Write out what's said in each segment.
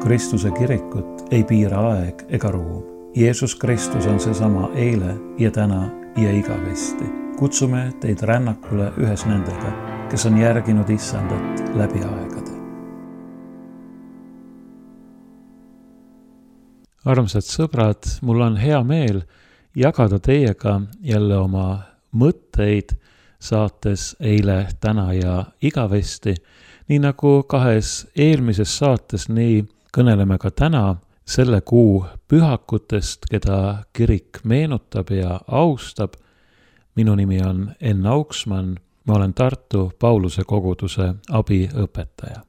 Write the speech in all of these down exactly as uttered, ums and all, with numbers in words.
Kristuse kirikut ei piira aeg ega ruum. Jeesus Kristus on seesama eile ja täna ja igavesti. Kutsume teid rännakule ühes nendega, kes on järginud Issandat läbi aegade. Armsad sõbrad, mul on hea meel jagada teiega jälle oma mõtteid saates eile, täna ja igavesti. Nii nagu kahes eelmises saates, nii kõneleme ka täna selle kuu pühakutest, keda kirik meenutab ja austab. Minu nimi on Enn Auksmann, ma olen Tartu Pauluse koguduse abiõpetaja.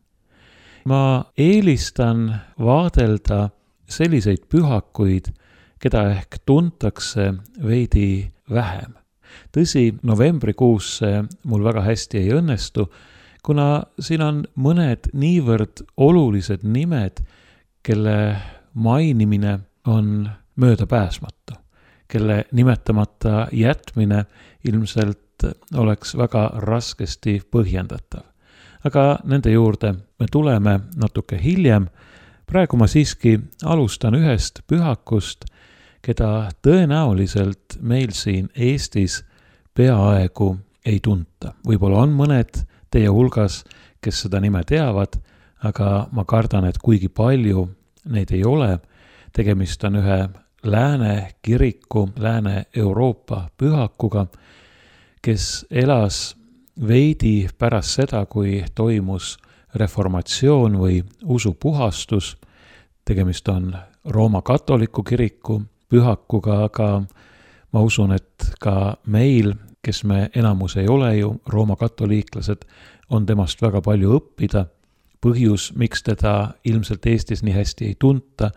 Ma eelistan vaadelda selliseid pühakuid, keda ehk tuntakse veidi vähem. Tõsi, novembrikuus see mul väga hästi ei õnnestu, kuna siin on mõned niivõrd olulised nimed, kelle mainimine on möödapääsmatu, kelle nimetamata jätmine ilmselt oleks väga raskesti põhjendatav. Aga nende juurde me tuleme natuke hiljem. Praegu ma siiski alustan ühest pühakust, keda tõenäoliselt meil siin Eestis peaaegu ei tunta. Võib-olla on mõned teie hulgas, kes seda nime teavad, aga ma kardan, et kuigi palju neid ei ole. Tegemist on ühe lääne kiriku, Lääne-Euroopa pühakuga, kes elas veidi pärast seda, kui toimus reformatsioon või usupuhastus. Tegemist on Rooma katoliku kiriku pühakuga, aga ma usun, et ka meil, kes me enamus ei ole ju Rooma katoliiklased, on temast väga palju õppida. Põhjus, miks teda ilmselt Eestis nii hästi ei tunta,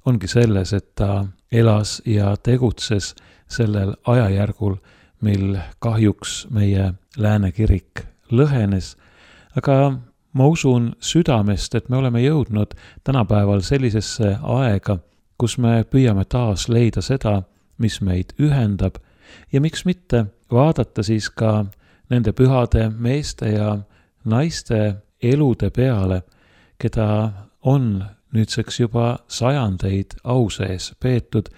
ongi selles, et ta elas ja tegutses sellel ajajärgul, mil kahjuks meie lääne kirik lõhenes. Aga ma usun südamest, et me oleme jõudnud tänapäeval sellisesse aega, kus me püüame taas leida seda, mis meid ühendab ja miks mitte vaadata siis ka nende pühade meeste ja naiste elude peale, keda on nüüdseks juba sajandeid au sees peetud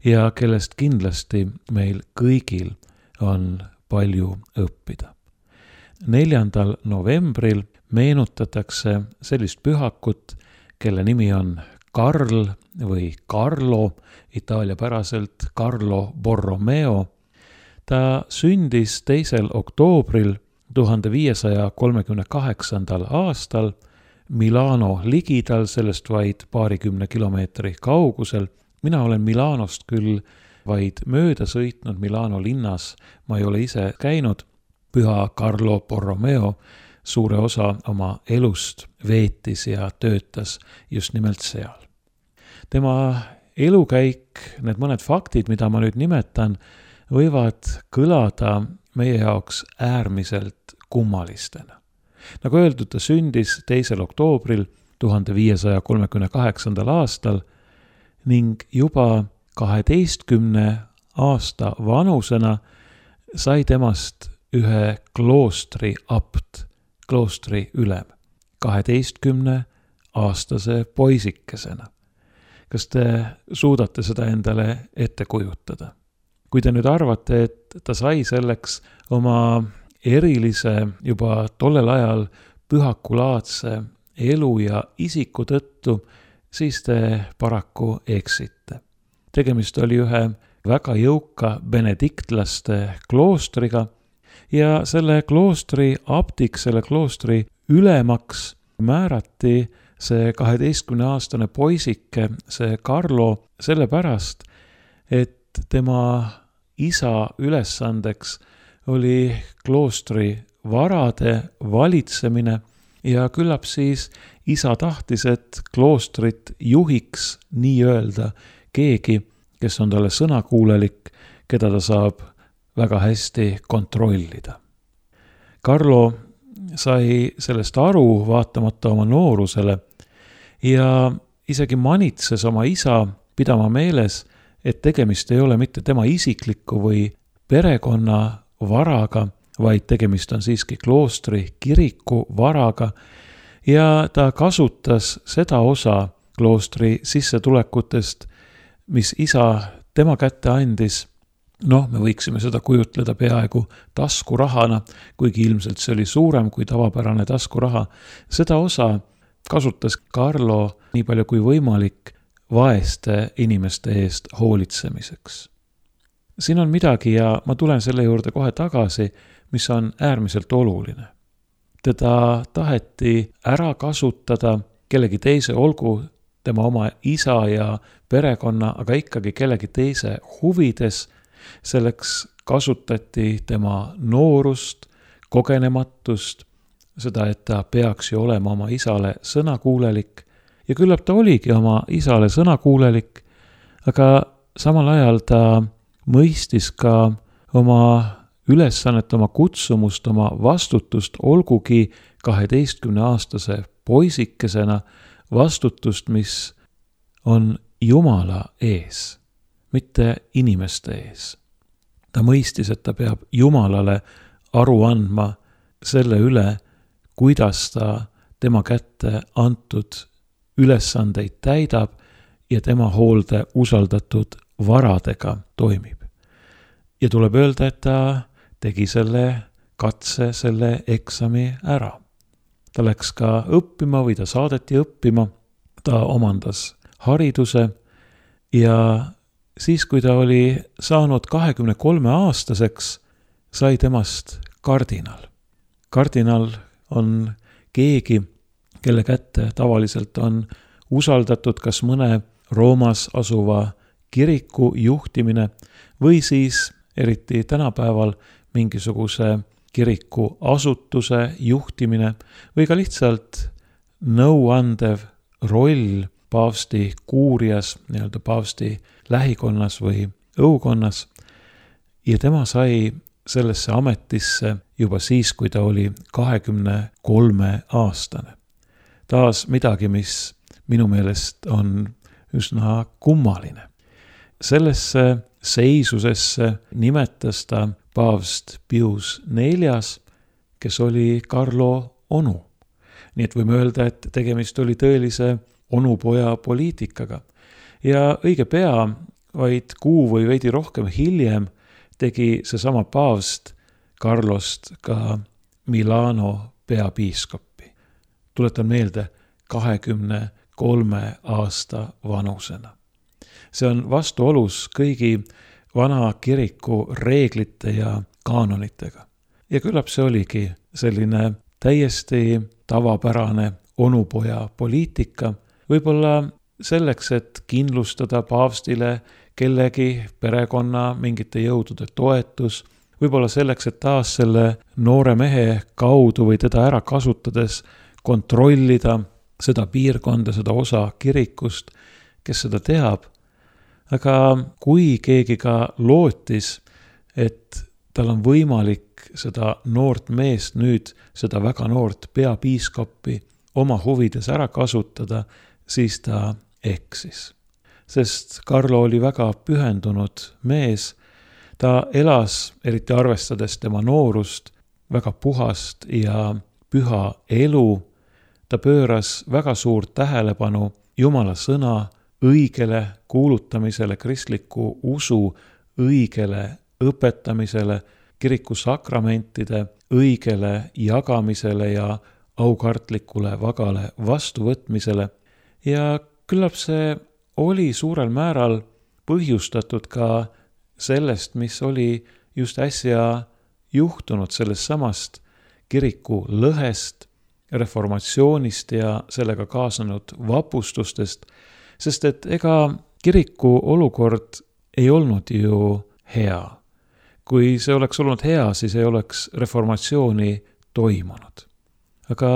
ja kellest kindlasti meil kõigil on palju õppida. neljandal novembril meenutatakse sellist pühakut, kelle nimi on Karl või Carlo, itaaliapäraselt Carlo Borromeo. Ta sündis teisel oktoobril tuhande viiesaja kolmekümne kaheksandal aastal Milano ligidal, sellest vaid paarikümne kilomeetri kaugusel. Mina olen Milanost küll vaid mööda sõitnud Milano linnas, ma ei ole ise käinud. Püha Carlo Borromeo suure osa oma elust veetis ja töötas just nimelt seal. Tema elukäik, need mõned faktid, mida ma nüüd nimetan, võivad kõlada meie jaoks äärmiselt kummalistena. Nagu öeldud, ta sündis teisel oktoobril tuhande viiesaja kolmekümne kaheksandal aastal ning juba kaheteistkümne aasta vanusena sai temast ühe kloostri abt, kloostri ülem, kaheteistkümne aastase poisikesena. Kas te suudate seda endale ette kujutada? Kui te nüüd arvate, et ta sai selleks oma erilise, juba tollel ajal pühakulaadse elu ja isiku tõttu, siis te paraku eksite. Tegemist oli ühe väga jõuka benediktlaste kloostriga ja selle kloostri abdiks, selle kloostri ülemaks määrati see kaheteistkümne aastane poisike, see Carlo, sellepärast, et tema isa ülesandeks oli kloostri varade valitsemine ja küllap siis isa tahtis, et kloostrit juhiks nii-öelda keegi, kes on talle sõnakuulelik, keda ta saab väga hästi kontrollida. Carlo sai sellest aru vaatamata oma noorusele ja isegi manitses oma isa pidama meeles, et tegemist ei ole mitte tema isikliku või perekonna varaga, vaid tegemist on siiski kloostri kiriku varaga ja ta kasutas seda osa kloostri sissetulekutest, mis isa tema kätte andis. Noh, me võiksime seda kujutleda peaaegu taskurahana, kuigi ilmselt see oli suurem kui tavapärane taskuraha. Seda osa kasutas Carlo nii palju kui võimalik vaeste inimeste eest hoolitsemiseks. Siin on midagi ja ma tulen selle juurde kohe tagasi, mis on äärmiselt oluline. Teda taheti ära kasutada kellegi teise, olgu tema oma isa ja perekonna, aga ikkagi kellegi teise huvides. Selleks kasutati tema noorust, kogenematust, seda, et ta peaks ju olema oma isale sõnakuulelik. Ja küllap ta oligi oma isale sõnakuulelik, aga samal ajal ta mõistis ka oma ülesannet, oma kutsumust, oma vastutust, olgugi kaheteistkümne aastase poisikesena, vastutust, mis on Jumala ees, mitte inimeste ees. Ta mõistis, et ta peab Jumalale aru andma selle üle, kuidas ta tema kätte antud ülesandeid täidab ja tema hoolde usaldatud varadega toimib. Ja tuleb öelda, et ta tegi selle katse, selle eksami ära. Ta läks ka õppima või ta saadeti õppima, ta omandas hariduse ja siis, kui ta oli saanud kahekümne kolme aastaseks, sai temast kardinal. Kardinal on keegi, kelle kätte tavaliselt on usaldatud kas mõne Roomas asuva kiriku juhtimine või siis eriti tänapäeval mingisuguse kiriku asutuse juhtimine või ka lihtsalt nõuandev roll paavsti kuurias, nii-öelda paavsti lähikonnas või õukonnas. Ja tema sai sellesse ametisse juba siis, kui ta oli kahekümne kolme aastane. Taas midagi, mis minu meelest on üsna kummaline. Sellesse seisusesse nimetas ta paavst Pius neljas, kes oli Carlo onu. Nii et võime öelda, et tegemist oli tõelise onupoja poliitikaga. Ja õige pea, vaid kuu või veidi rohkem hiljem, tegi seesama paavst Carlost ka Milano peapiiskoppi. Tuletan meelde, kahekümne kolme aasta vanusena. See on vastuolus kõigi vana kiriku reeglite ja kaanonitega. Ja küllap see oligi selline täiesti tavapärane onupoja poliitika, võib-olla selleks, et kindlustada paavstile kellegi perekonna mingite jõudude toetus, võib-olla selleks, et taas selle noore mehe kaudu või teda ära kasutades kontrollida seda piirkonda, seda osa kirikust, kes seda teab. Aga kui keegi ka lootis, et tal on võimalik seda noort meest nüüd, seda väga noort peapiiskoppi oma huvides ära kasutada, siis ta eksis. Sest Carlo oli väga pühendunud mees, ta elas, eriti arvestades tema noorust, väga puhast ja püha elu. Ta pööras väga suurt tähelepanu Jumala sõna õigele kuulutamisele, kristliku usu õigele õpetamisele, kiriku sakramentide õigele jagamisele ja aukartlikule vagale vastuvõtmisele. Ja küllap see oli suurel määral põhjustatud ka sellest, mis oli just äsja juhtunud, sellest samast kiriku lõhest, reformatsioonist ja sellega kaasanud vapustustest, sest et ega kiriku olukord ei olnud ju hea. Kui see oleks olnud hea, siis ei oleks reformatsiooni toimunud. Aga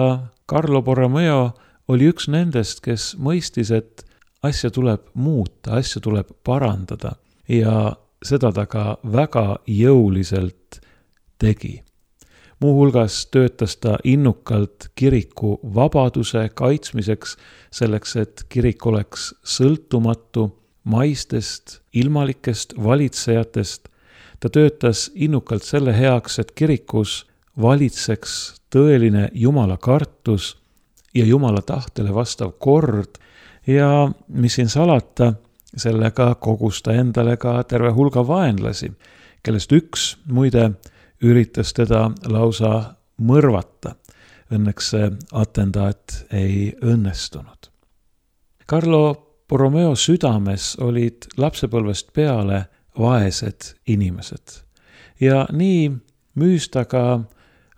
Carlo Borromeo oli üks nendest, kes mõistis, et asja tuleb muuta, asja tuleb parandada ja seda ta ka väga jõuliselt tegi. Muuhulgas töötas ta innukalt kiriku vabaduse kaitsmiseks, selleks, et kirik oleks sõltumatu maistest, ilmalikest valitsejatest. Ta töötas innukalt selle heaks, et kirikus valitseks tõeline Jumala kartus ja Jumala tahtele vastav kord Ja mis siin salata, sellega kogus ta endale ka terve hulga vaenlasi, kellest üks muide üritas teda lausa mõrvata. Õnneks see atendaat ei õnnestunud. Carlo Borromeo südames olid lapsepõlvest peale vaesed inimesed. Ja nii müüs ta ka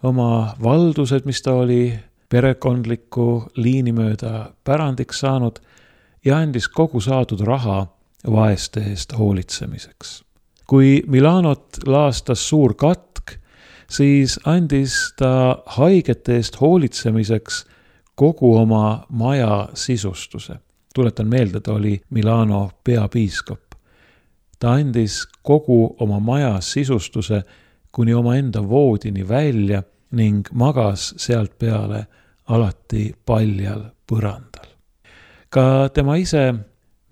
oma valdused, mis ta oli perekondliku liini mööda pärandiks saanud, ja andis kogu saadud raha vaeste eest hoolitsemiseks. Kui Milanot laastas suur katk, siis andis ta haigete eest hoolitsemiseks kogu oma maja sisustuse. Tuletan meelde, ta oli Milano peapiiskop. Ta andis kogu oma maja sisustuse kuni oma enda voodini välja ning magas sealt peale alati paljal põrandal. Ka tema ise,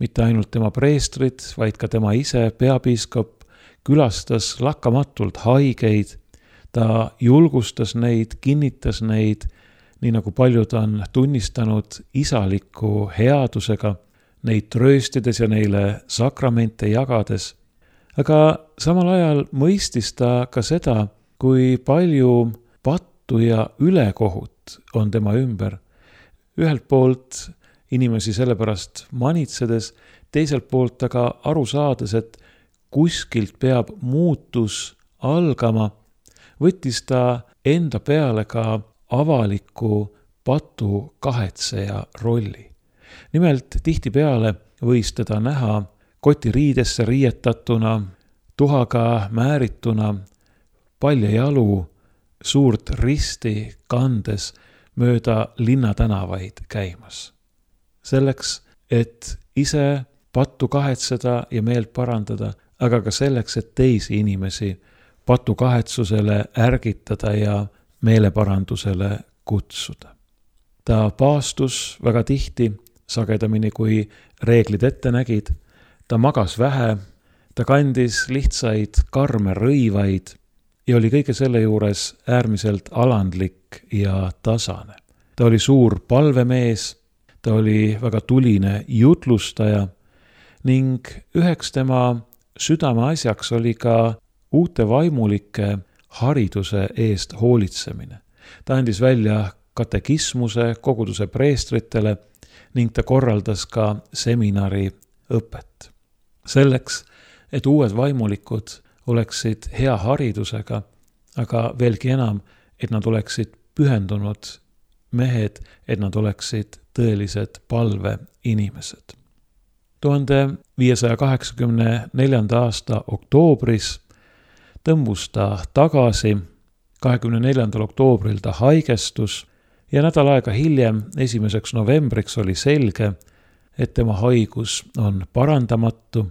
mitte ainult tema preestrid, vaid ka tema ise, peapiiskop, külastas lakkamatult haigeid, ta julgustas neid, kinnitas neid, nii nagu paljud on tunnistanud isaliku headusega, neid trööstides ja neile sakramente jagades. Aga samal ajal mõistis ta ka seda, kui palju pattu ja ülekohut on tema ümber. Ühelt poolt inimesi sellepärast manitsedes, teiselt poolt aga aru saades, et kuskilt peab muutus algama, võttis ta enda peale ka avaliku patu kahetseja rolli. Nimelt tihtipeale võis teda näha kotiriidesse riietatuna, tuhaga määrituna, palja jalu, suurt risti kandes mööda linnatänavaid käimas. Selleks, et ise pattu kahetseda ja meelt parandada, aga ka selleks, et teisi inimesi patu kahetsusele ärgitada ja meeleparandusele kutsuda. Ta paastus väga tihti, sagedamini kui reeglid ette nägid, ta magas vähe, ta kandis lihtsaid karme rõivaid ja oli kõige selle juures äärmiselt alandlik ja tasane. Ta oli suur palvemees, ta oli väga tuline jutlustaja ning üheks tema südameasjaks oli ka uute vaimulike hariduse eest hoolitsemine. Ta andis välja katekismuse koguduse preestritele ning ta korraldas ka seminari õpet. Selleks, et uued vaimulikud oleksid hea haridusega, aga veelgi enam, et nad oleksid pühendunud mehed, et nad oleksid tõelised palve inimesed. tuhande viiesaja kaheksakümne neljanda aasta oktoobris tõmbus ta tagasi, kahekümne neljandal oktoobril ta haigestus ja nädal aega hiljem, esimeseks novembriks oli selge, et tema haigus on parandamatu.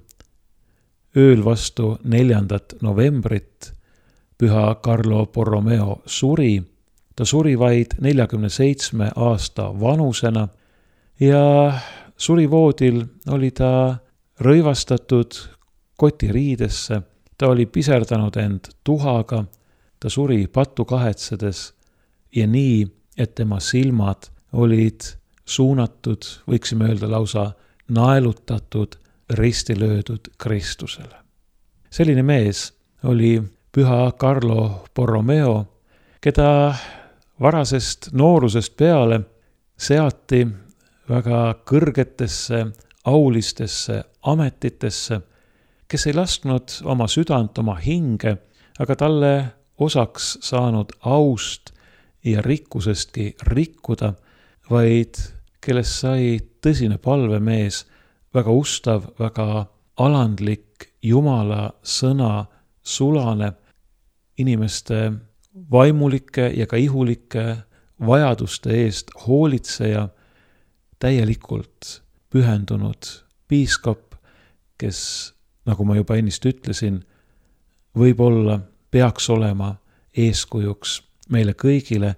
Ööl vastu neljandat novembrit püha Carlo Borromeo suri. Ta suri vaid neljakümne seitsme aasta vanusena ja surivoodil oli ta rõivastatud kotiriidesse. Ta oli piserdanud end tuhaga, ta suri pattu kahetsedes ja nii, et tema silmad olid suunatud, võiksime öelda lausa naelutatud, risti löödud Kristusele. Selline mees oli püha Carlo Borromeo, keda varasest noorusest peale seati väga kõrgetesse, aulistesse ametitesse, kes ei lasknud oma südant, oma hinge, aga talle osaks saanud aust ja rikkusestki rikkuda, vaid kellest sai tõsine palvemees, väga ustav, väga alandlik, Jumala sõna sulane, inimeste vaimulike ja ka ihulike vajaduste eest hoolitseja, täielikult pühendunud piiskop, kes, nagu ma juba ennist ütlesin, võib-olla peaks olema eeskujuks meile kõigile,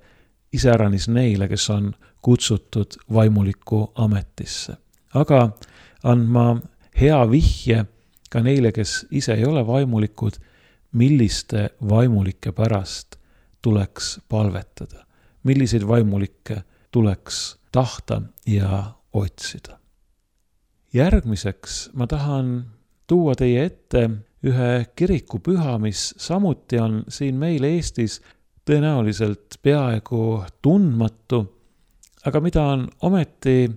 iseäranis neile, kes on kutsutud vaimuliku ametisse. Aga andma hea vihje ka neile, kes ise ei ole vaimulikud, milliste vaimulike pärast tuleks palvetada, milliseid vaimulikke tuleks tahta ja otsida. Järgmiseks ma tahan tuua teie ette ühe kirikupüha, mis samuti on siin meil Eestis tõenäoliselt peaaegu tundmatu, aga mida on ometi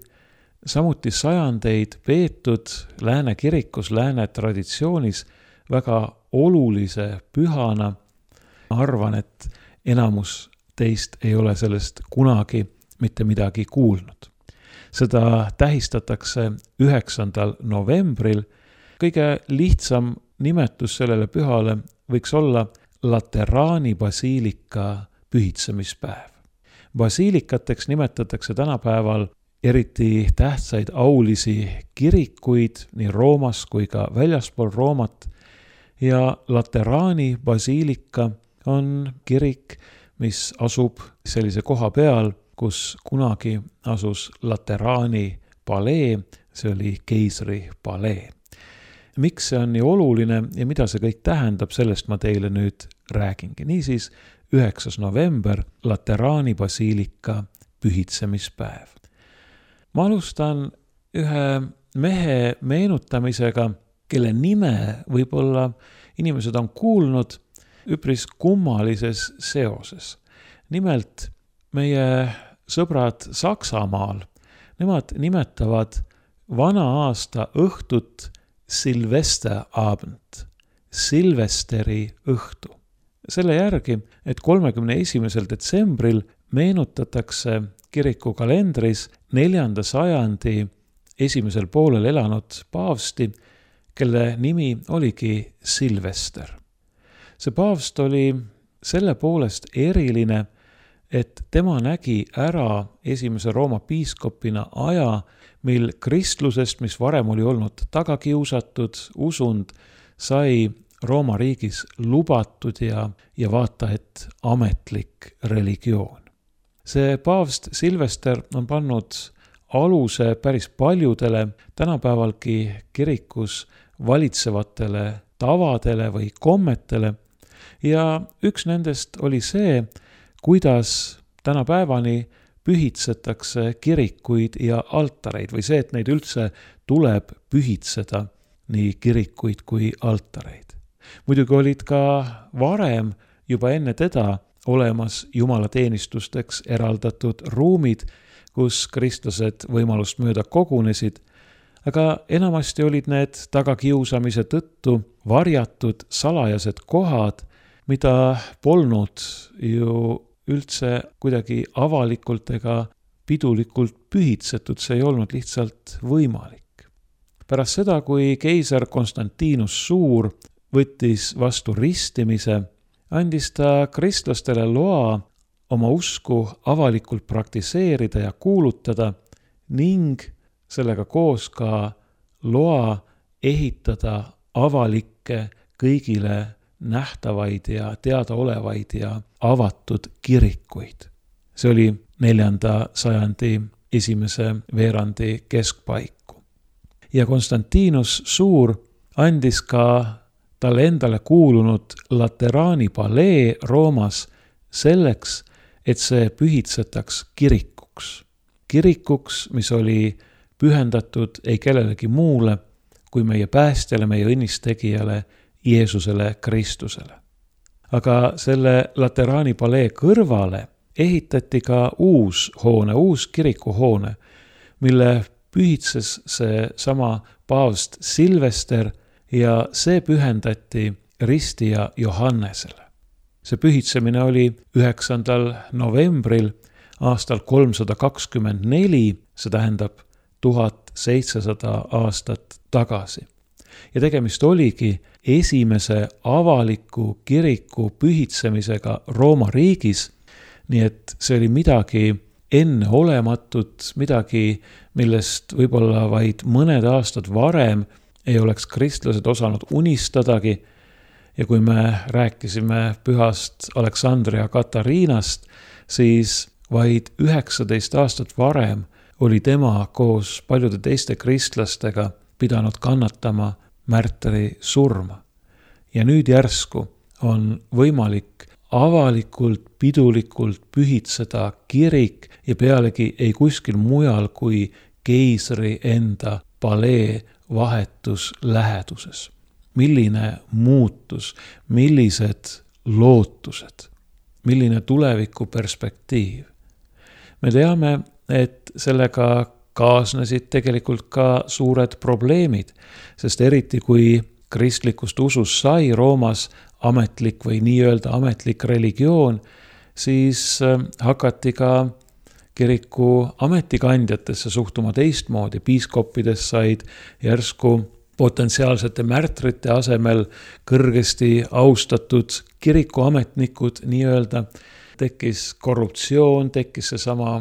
samuti sajandeid peetud lääne kirikus, lääne traditsioonis väga olulise pühana. Ma arvan, et enamus teist ei ole sellest kunagi mitte midagi kuulnud. Seda tähistatakse üheksandal novembril. Kõige lihtsam nimetus sellele pühale võiks olla Lateraani basiilika pühitsemispäev. Basiilikateks nimetatakse tänapäeval eriti tähtsaid aulisi kirikuid nii Roomas kui ka väljaspool Roomat ja Lateraani basiilika on kirik, mis asub sellise koha peal, kus kunagi asus Lateraani palee, see oli keisri palee. Miks see on nii oluline ja mida see kõik tähendab, sellest ma teile nüüd räägingi. Niisiis, üheksas november, Lateraani basiilika pühitsemispäev. Ma alustan ühe mehe meenutamisega, kelle nime võib-olla inimesed on kuulnud üpris kummalises seoses. Nimelt meie sõbrad Saksamaal, nemad nimetavad vana aasta õhtut Silvesterabend, Silvesteri õhtu. Selle järgi, et kolmekümne esimesel detsembril meenutatakse kiriku kalendris neljanda sajandi esimesel poolel elanud paavsti, kelle nimi oligi Silvester. See paavst oli selle poolest eriline, et tema nägi ära esimese Rooma piiskopina aja, mil kristlusest, mis varem oli olnud tagakiusatud usund, sai Rooma riigis lubatud ja, ja vaata, et ametlik religioon. See paavst Silvester on pannud aluse päris paljudele tänapäevalgi kirikus valitsevatele tavadele või kommetele ja üks nendest oli see, kuidas tänapäevani pühitsetakse kirikuid ja altareid või see, et neid üldse tuleb pühitseda, nii kirikuid kui altareid. Muidugi olid ka varem juba enne teda olemas jumalateenistusteks eraldatud ruumid, kus kristlased võimalust mööda kogunesid, aga enamasti olid need tagakiusamise tõttu varjatud salajased kohad, mida polnud ju üldse kuidagi avalikult ega pidulikult pühitsetud, see ei olnud lihtsalt võimalik. Pärast seda, kui keiser Konstantinus Suur võttis vastu ristimise, andis ta kristlastele loa oma usku avalikult praktiseerida ja kuulutada ning sellega koos ka loa ehitada avalikke kõigile nähtavaid ja teadaolevaid ja avatud kirikuid. See oli neljanda sajandi esimese veerandi keskpaiku. Ja Konstantinus Suur andis ka talle endale kuulunud Lateraani palee Roomas selleks, et see pühitsetaks kirikuks. Kirikuks, mis oli pühendatud ei kellelegi muule kui meie päästjale, meie õnnistegijale Jeesusele Kristusele. Aga selle Lateraani palee kõrvale ehitati ka uus hoone, uus kirikuhoone, mille pühitses see sama paavst Silvester ja see pühendati ristija Johannesele. See pühitsemine oli üheksandal novembril aastal kolmsada kakskümmend neli, see tähendab tuhat seitsesada aastat tagasi. Ja tegemist oligi esimese avaliku kiriku pühitsemisega Rooma riigis, nii et see oli midagi enneolematut, midagi, millest võib-olla vaid mõned aastad varem ei oleks kristlased osanud unistadagi. Ja kui me rääkisime pühast Aleksandria Katariinast, siis vaid üheksateist aastat varem oli tema koos paljude teiste kristlastega pidanud kannatama märtri surma. Ja nüüd järsku on võimalik avalikult, pidulikult pühitseda kirik ja pealegi ei kuskil mujal kui keisri enda palee vahetus läheduses. Milline muutus, millised lootused, milline tuleviku perspektiiv. Me teame, et sellega kaasnesid tegelikult ka suured probleemid, sest eriti kui kristlikust usust sai Roomas ametlik või nii-öelda ametlik religioon, siis hakati ka kiriku ametikandjatesse suhtuma teistmoodi. Piiskoppidest said järsku potentsiaalsete märtrite asemel kõrgesti austatud kirikuametnikud nii-öelda. Tekkis korruptsioon, tekkis see sama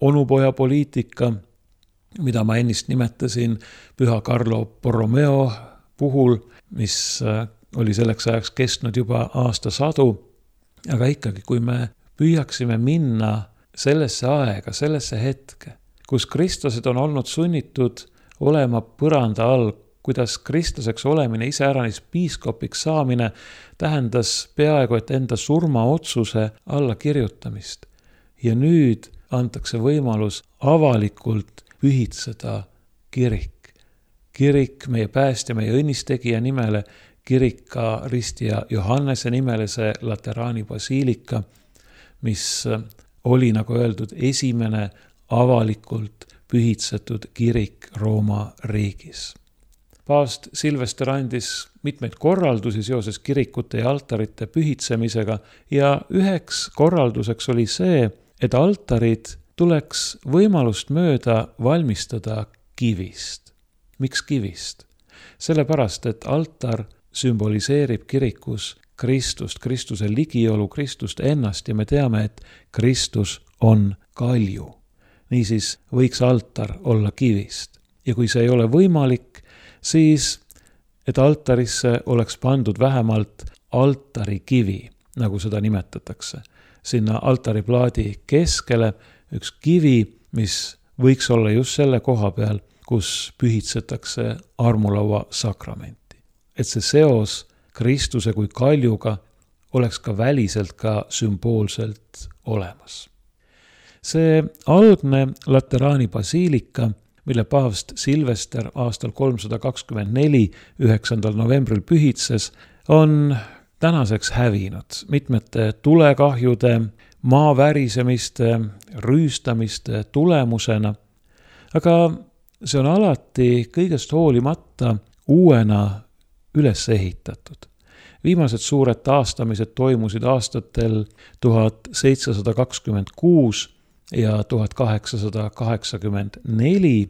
onupoja poliitika, mida ma ennist nimetasin Püha Carlo Borromeo puhul, mis oli selleks ajaks kestnud juba aastasadu. Aga ikkagi, kui me püüaksime minna sellesse aega, sellesse hetke, kus kristlased on olnud sunnitud olema põranda all, kuidas kristlaseks olemine, iseäranis piiskopiks saamine tähendas peaaegu et enda surmaotsuse alla kirjutamist. Ja nüüd antakse võimalus avalikult pühitseda kirik. Kirik meie päästja, meie õnnistegija nimele, kirik ka ristija Johannese nimele, see Lateraani basiilika, mis oli, nagu öeldud, esimene avalikult pühitsetud kirik Rooma riigis. Paavst Silvester andis mitmeid korraldusi seoses kirikute ja altarite pühitsemisega ja üheks korralduseks oli see, et altarid tuleks võimalust mööda valmistada kivist. Miks kivist? Sellepärast, et altar sümboliseerib kirikus Kristust, Kristuse ligiolu, Kristust ennast ja me teame, et Kristus on kalju. Niisiis võiks altar olla kivist. Ja kui see ei ole võimalik, siis et altarisse oleks pandud vähemalt altarikivi, nagu seda nimetatakse. Sinna altariplaadi keskele üks kivi, mis võiks olla just selle koha peal, kus pühitsetakse armulaua sakramenti. Et see seos Kristuse kui kaljuga oleks ka väliselt ka sümboolselt olemas. See algne Lateraani basiilika, mille paavst Silvester aastal kolmsada kakskümmend neli üheksandal novembril pühitses, on tänaseks hävinud mitmete tulekahjude, maavärisemiste, rüüstamiste tulemusena, aga see on alati kõigest hoolimata uuena üles ehitatud. Viimased suured taastamised toimusid aastatel tuhat seitsesada kakskümmend kuus ja tuhat kaheksasada kaheksakümmend neli,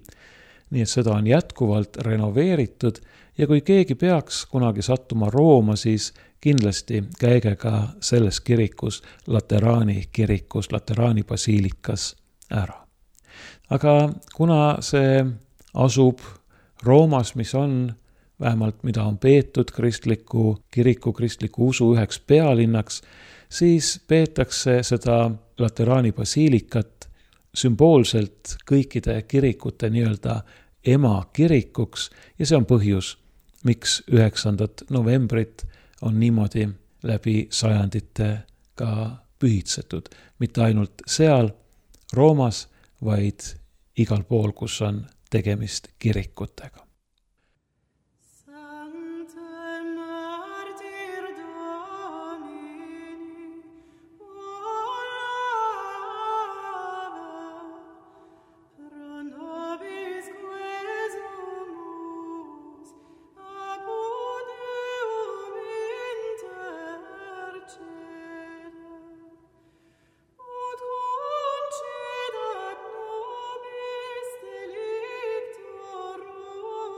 nii et seda on jätkuvalt renoveeritud ja kui keegi peaks kunagi sattuma Rooma, siis kindlasti käige ka selles kirikus, Lateraani kirikus, Lateraani basiilikas ära. Aga kuna see asub Roomas, mis on vähemalt mida on peetud kristliku kiriku, kristliku usu üheks pealinnaks, siis peetakse seda Lateraani basiilikat sümboolselt kõikide kirikute nii-öelda ema kirikuks ja see on põhjus, miks üheksandat novembrit on niimoodi läbi sajandite ka pühitsetud. Mitte ainult seal Roomas, vaid igal pool, kus on tegemist kirikutega. Ut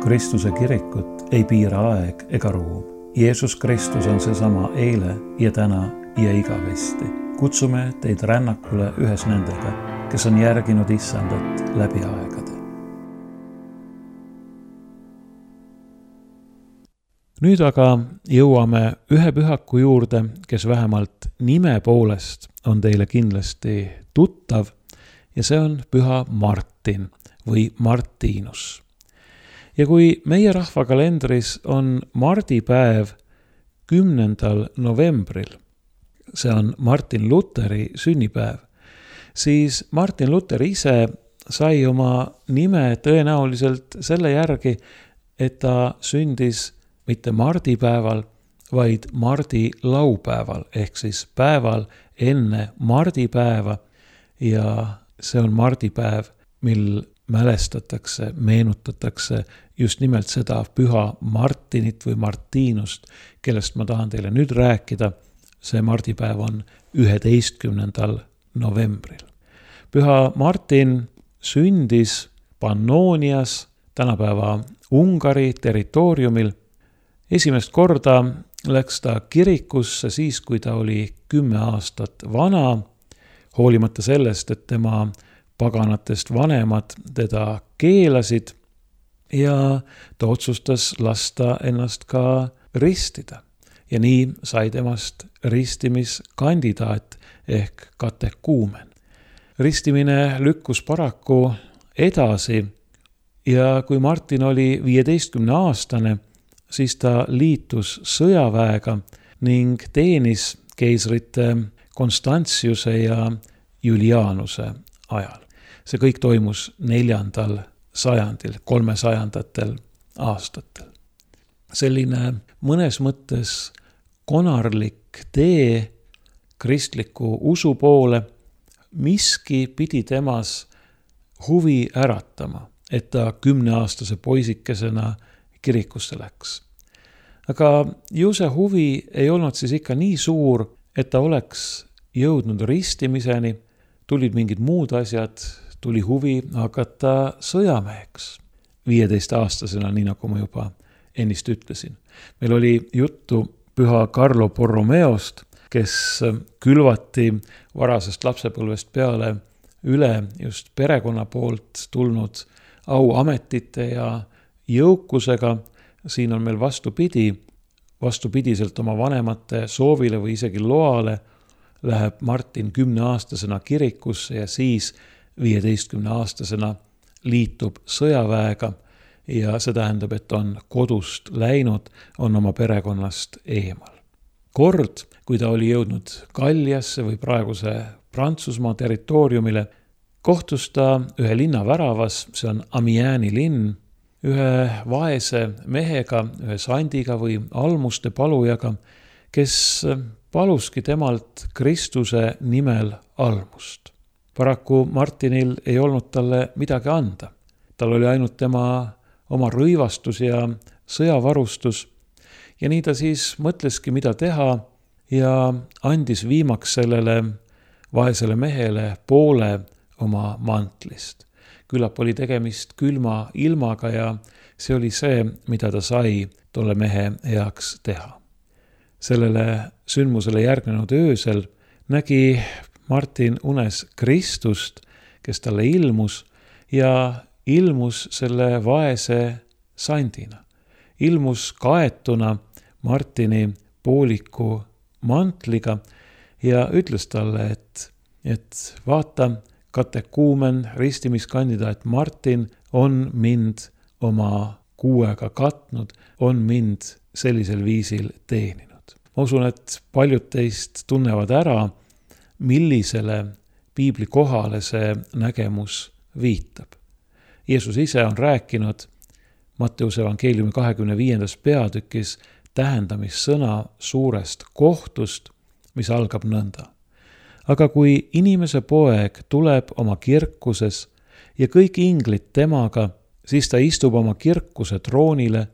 Kristuse kirikut ei piira aeg ega ruum. Jeesus Kristus on seesama eile ja täna ja igavesti. Kutsume teid rännakule ühes nendega, kes on järginud Issandat läbi aegade. Nüüd aga jõuame ühe pühaku juurde, kes vähemalt nime poolest on teile kindlasti tuttav, ja see on püha Martin või Martinus. Ja kui meie rahvakalendris on mardipäev kümnendal novembril, see on Martin Luteri sünnipäev, siis Martin Luther ise sai oma nime tõenäoliselt selle järgi, et ta sündis mitte mardipäeval, vaid mardilaupäeval, ehk siis päeval enne mardipäeva, ja see on mardipäev, mil mälestatakse, meenutatakse just nimelt seda püha Martinit või Martinust, kellest ma tahan teile nüüd rääkida. See mardipäev on üheteistkümnendal novembril. Püha Martin sündis Pannonias, tänapäeva Ungari territooriumil. Esimest korda läks ta kirikusse siis, kui ta oli kümme aastat vana, hoolimata sellest, et tema paganatest vanemad teda keelasid, ja ta otsustas lasta ennast ka ristida. Ja nii sai temast ristimiskandidaat ehk katekuumen. Ristimine lükkus paraku edasi, ja kui Martin oli viieteistkümne aastane, siis ta liitus sõjaväega ning teenis keisrite Konstantiuse ja Julianuse ajal. See kõik toimus neljandal sajandil, kolmesajandatel aastatel. Selline mõnes mõttes konarlik tee kristliku usu poole, miski pidi temas huvi äratama, et ta kümneaastase poisikesena kirikusse läks. Aga ju see huvi ei olnud siis ikka nii suur, et ta oleks jõudnud ristimiseni, tulid mingid muud asjad, tuli huvi hakata sõjameheks. viieteist-aastasena, nii nagu ma juba ennist ütlesin. Meil oli juttu püha Carlo Borromeost, kes külvati varasest lapsepõlvest peale üle just perekonna poolt tulnud auametite ja jõukusega. Siin on meil vastupidi, vastupidiselt oma vanemate soovile või isegi loale läheb Martin kümneaastasena kirikusse ja siis viieteistkümneaastasena liitub sõjaväega, ja see tähendab, et on kodust läinud, on oma perekonnast eemal. Kord, kui ta oli jõudnud Galliasse või praeguse Prantsusmaa territooriumile, kohtus ta ühe linna väravas, see on Amieni linn, ühe vaese mehega, ühe sandiga või almuste palujaga, kes paluski temalt Kristuse nimel almust. Paraku Martinil ei olnud talle midagi anda. Tal oli ainult tema oma rõivastus ja sõjavarustus, ja nii ta siis mõtleski, mida teha, ja andis viimaks sellele vaesele mehele poole oma mantlist. Küllap oli tegemist külma ilmaga, ja see oli see, mida ta sai tolle mehe heaks teha. Sellele sündmusele järgnenud öösel nägi Martin unes Kristust, kes talle ilmus, ja ilmus selle vaese sandina. Ilmus kaetuna Martini pooliku mantliga ja ütles talle, et, et vaata, katekuumen, ristimiskandidaat Martin on mind oma kuuega katnud, on mind sellisel viisil teeninud. Ma usun, et paljud teist tunnevad ära, millisele piibli kohale see nägemus viitab. Jeesus ise on rääkinud Matteuse evangeeliumi kahekümne viiendas peatükis tähendamissõna suurest kohtust, mis algab nõnda. Aga kui inimese poeg tuleb oma kirkuses ja kõik inglid temaga, siis ta istub oma kirkuse troonile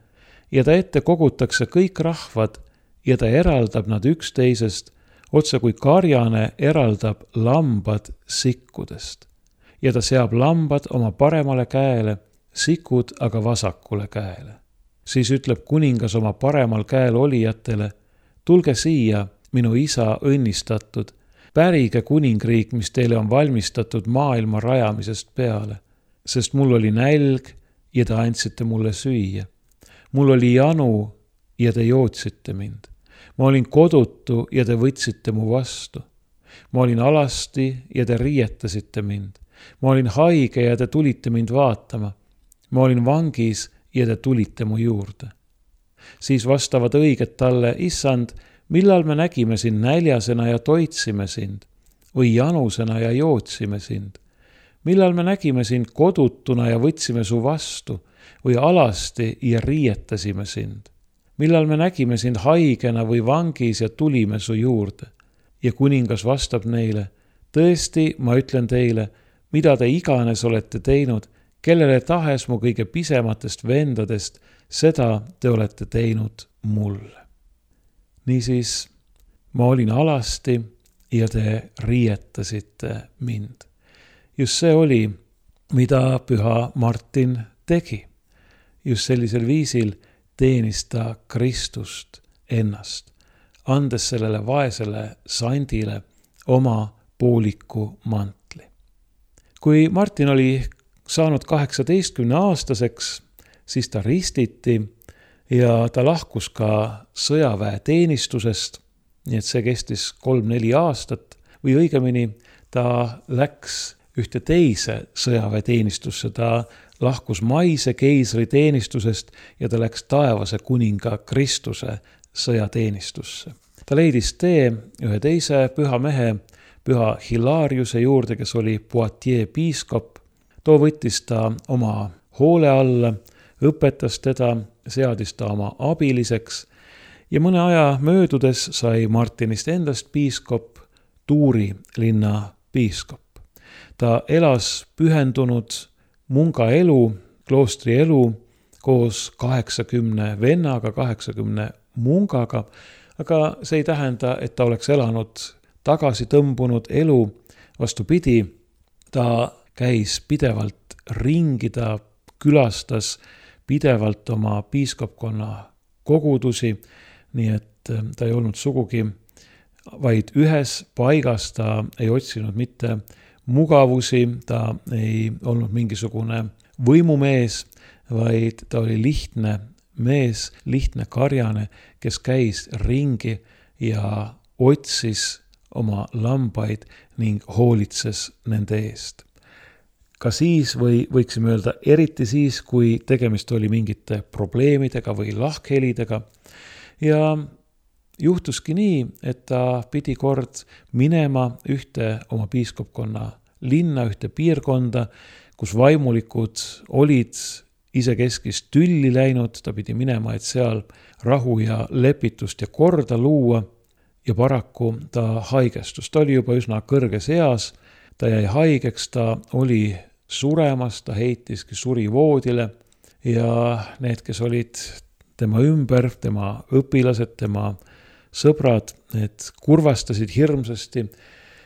ja ta ette kogutakse kõik rahvad ja ta eraldab nad üksteisest, otse kui karjane eraldab lambad sikkudest. Ja ta seab lambad oma paremale käele, sikud aga vasakule käele. Siis ütleb kuningas oma paremal käel olijatele, tulge siia, minu isa õnnistatud, pärige kuningriik, mis teile on valmistatud maailma rajamisest peale, sest mul oli nälg ja te andsite mulle süüa. Mul oli janu ja te jootsite mind. Ma olin kodutu ja te võtsite mu vastu. Ma olin alasti ja te riietasite mind. Ma olin haige ja te tulite mind vaatama. Ma olin vangis ja te tulite mu juurde. Siis vastavad õiged talle, issand, millal me nägime sind näljasena ja toitsime sind või janusena ja jootsime sind? Millal me nägime sind kodutuna ja võtsime su vastu või alasti ja riietasime sind? Millal me nägime sind haigena või vangis ja tulime su juurde? Ja kuningas vastab neile, tõesti, ma ütlen teile, mida te iganes olete teinud, kellele tahes mu kõige pisematest vendadest, seda te olete teinud mulle. Niisiis, ma olin alasti ja te riietasite mind. Just see oli, mida püha Martin tegi. Just sellisel viisil teenis ta Kristust ennast, andes sellele vaesele sandile oma pooliku mantli. Kui Martin oli saanud kaheksateistkümne aastaseks, siis ta ristiti ja ta lahkus ka sõjaväeteenistusest, nii et see kestis kolm-neli aastat või õigemini ta läks ühte teise sõjaväeteenistusse, ta lahkus maise keisri teenistusest ja ta läks taevase kuninga Kristuse sõjateenistusse. Ta leidis tee ühe teise püha mehe, püha Hilariuse juurde, kes oli Poitiers piiskop. Too võttis ta oma hoole alla, õpetas teda, seadis ta oma abiliseks ja mõne aja möödudes sai Martinist endast piiskop, Tuuri linna piiskop. Ta elas pühendunud munga elu, kloostri elu koos kaheksakümne vennaga, kaheksakümne mungaga, aga see ei tähenda, et ta oleks elanud tagasi tõmbunud elu. Vastupidi, ta käis pidevalt ringi, ta külastas pidevalt oma piiskopkonna kogudusi, nii et ta ei olnud sugugi vaid ühes paigas, ta ei otsinud mitte mugavusi, ta ei olnud mingisugune võimumees, vaid ta oli lihtne mees, lihtne karjane, kes käis ringi ja otsis oma lambaid ning hoolitses nende eest. Ka siis või võiksime öelda eriti siis, kui tegemist oli mingite probleemidega või lahkhelidega. Ja juhtuski nii, et ta pidi kord minema ühte oma piiskopkonna linna, ühte piirkonda, kus vaimulikud olid isekeskis tülli läinud, ta pidi minema, et seal rahu ja lepitust ja korda luua ja paraku ta haigestus. Ta oli juba üsna kõrges eas, ta jäi haigeks, ta oli suremas, ta heitiski suri voodile ja need, kes olid tema ümber, tema õpilased, tema sõbrad, need kurvastasid hirmsasti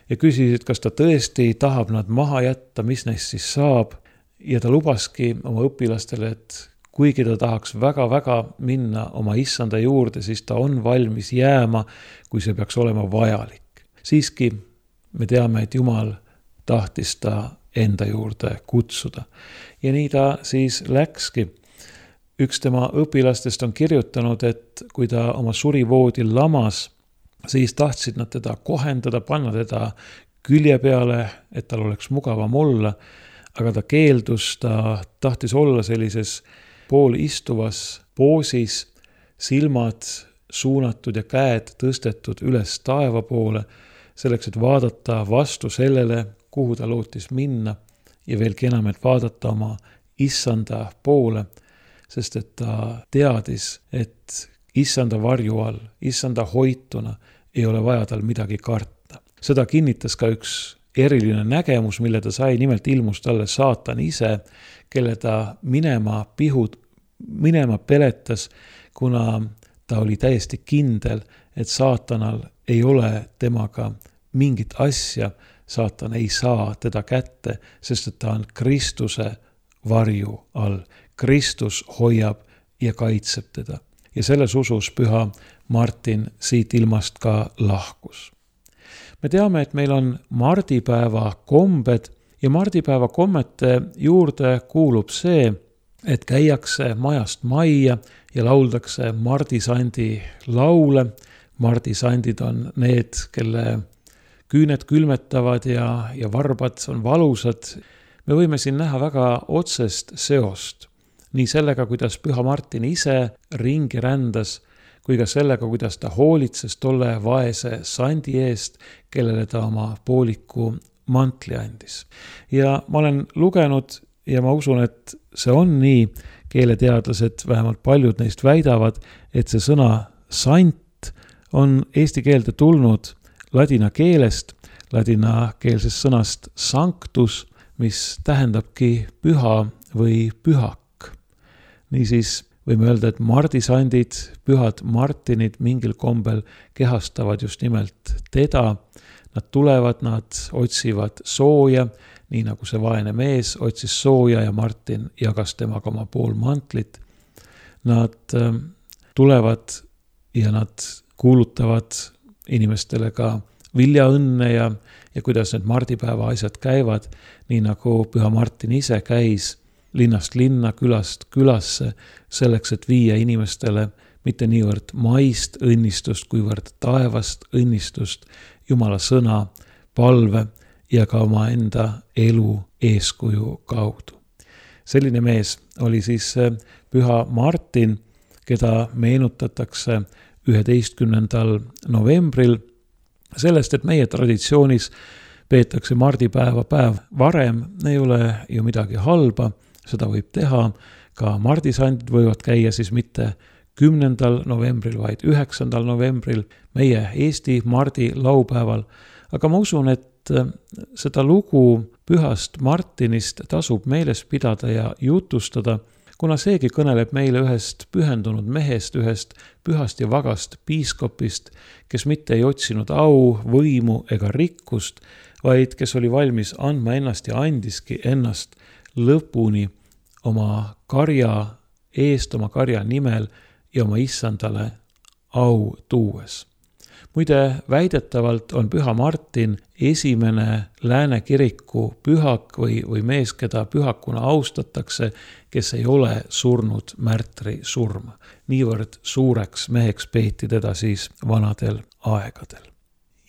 ja küsisid, kas ta tõesti tahab nad maha jätta, mis neist siis saab. Ja ta lubaski oma õpilastele, et kuigi ta tahaks väga-väga minna oma issanda juurde, siis ta on valmis jääma, kui see peaks olema vajalik. Siiski me teame, et Jumal tahtis ta enda juurde kutsuda. Ja nii ta siis läkski. Üks tema õpilastest on kirjutanud, et kui ta oma surivoodil lamas, siis tahtsid nad teda kohendada, panna teda külje peale, et tal oleks mugavam olla, aga ta keeldus, ta tahtis olla sellises poolistuvas poosis, silmad suunatud ja käed tõstetud üles taeva poole, selleks, et vaadata vastu sellele, kuhu ta lootis minna ja veelgi enam, et vaadata oma issanda poole, sest et ta teadis, et issanda varju all, issanda hoituna ei ole vaja tal midagi karta. Seda kinnitas ka üks eriline nägemus, mille ta sai, nimelt ilmus talle saatan ise, kelle ta minema pihud, minema peletas, kuna ta oli täiesti kindel, et saatanal ei ole temaga mingit asja, saatan ei saa teda kätte, sest et ta on Kristuse varju all. Kristus hoiab ja kaitseb teda. Ja selles usus püha Martin siit ilmast ka lahkus. Me teame, et meil on mardipäeva kombed ja mardipäeva kommete juurde kuulub see, et käiakse majast majja ja lauldakse mardisandi laule. Mardisandid on need, kelle küüned külmetavad ja, ja varbad on valusad. Me võime siin näha väga otsest seost. Nii sellega, kuidas püha Martin ise ringi rändas, kui ka sellega, kuidas ta hoolitses tolle vaese sandi eest, kellele ta oma pooliku mantli andis. Ja ma olen lugenud ja ma usun, et see on nii, keeleteadlased, vähemalt paljud neist väidavad, et see sõna sant on eesti keelde tulnud ladina keelest, ladinakeelsest sõnast sanctus, mis tähendabki püha või pühak. Niisiis võime öelda, et mardisandid, pühad Martinid mingil kombel kehastavad just nimelt teda. Nad tulevad, nad otsivad sooja, nii nagu see vaene mees otsis sooja ja Martin jagas temaga oma pool mantlit. Nad tulevad ja nad kuulutavad inimestele ka viljaõnne ja, ja kuidas need mardipäeva asjad käivad, nii nagu püha Martin ise käis linnast linna, külast külasse, selleks, et viia inimestele mitte niivõrd maist õnnistust, kuivõrd taevast õnnistust, Jumala sõna, palve ja ka oma enda elu eeskuju kaudu. Selline mees oli siis püha Martin, keda meenutatakse üheteistkümnendal novembril. Sellest, et meie traditsioonis peetakse mardipäeva päev varem, ei ole ju midagi halba, seda võib teha. Ka mardisandid võivad käia siis mitte kümnendal novembril, vaid üheksandal novembril, meie Eesti mardi laupäeval. Aga ma usun, et seda lugu pühast Martinist tasub meeles pidada ja jutustada, kuna seegi kõneleb meile ühest pühendunud mehest, ühest pühast ja vagast piiskopist, kes mitte ei otsinud au, võimu ega rikkust, vaid kes oli valmis andma ennast ja andiski ennast lõpuni oma karja eest, oma karja nimel ja oma issandale au tuues. Muide, väidetavalt on püha Martin esimene Lääne kiriku pühak või, või mees, keda pühakuna austatakse, kes ei ole surnud märtri surma. Niivõrd suureks meheks peeti teda siis vanadel aegadel.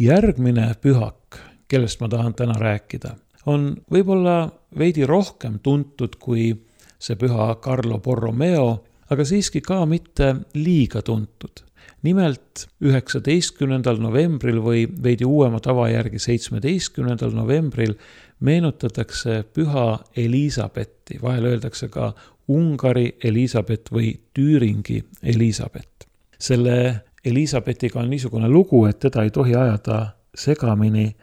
Järgmine pühak, kellest ma tahan täna rääkida, on võib-olla veidi rohkem tuntud kui see püha Carlo Borromeo, aga siiski ka mitte liiga tuntud. Nimelt üheksateistkümnendal novembril või veidi uuema tava järgi seitsmeteistkümnendal novembril meenutatakse püha Elisabethi, vahel öeldakse ka Ungari Elisabeth või Tüüringi Elisabeth. Selle Elisabethiga on niisugune lugu, et teda ei tohi ajada segamini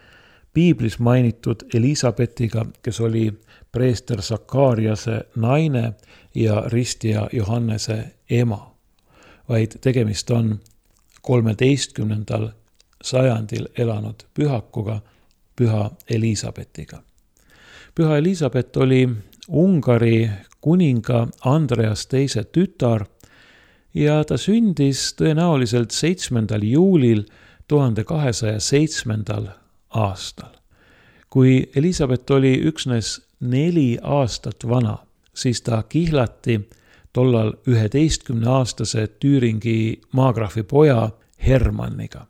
piiblis mainitud Elisabethiga, kes oli preester Sakariase naine ja ristija Johannese ema, vaid tegemist on kolmeteistkümnendal sajandil elanud pühakuga, püha Elisabethiga. Püha Elisabeth oli Ungari kuninga Andreas teise tütar ja ta sündis tõenäoliselt seitsmendal juulil tuhande kahesaja seitsmendal aastal. Kui Elisabeth oli üksnes neli aastat vana, siis ta kihlati tollal üheteistkümne aastase Tüüringi maagraafi poja Hermanniga,